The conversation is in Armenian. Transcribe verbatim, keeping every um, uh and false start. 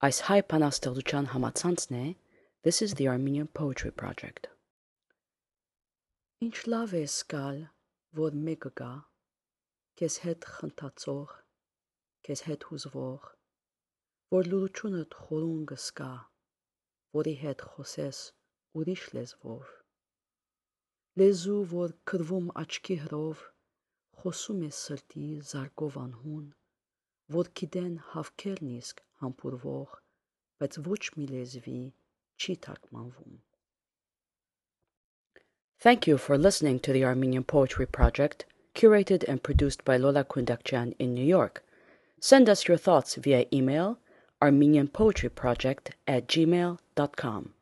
Այս հայ բանաստեղծության համացանցն է This is the Armenian Poetry Project. Ինչ լավ է սկալ, որ մեկը գա, քեզ հետ խնդացող, քեզ հետ հուզվող, որ լուրությունդ խորուն կսկա, որի հետ խոսես ուրիշ լեզվով, լեզու, որ քրվում աչքի հրով, խոսում է սրտի զարկով անհուն, որ գիտեն հավքերն իսկ համբուրվող, բայց ոչ մի լեզվի չի թարգմանվում. Thank you for listening to the Armenian Poetry Project, curated and produced by Lola Kundakjian in New York. Send us your thoughts via email armenianpoetryproject at gmail dot com.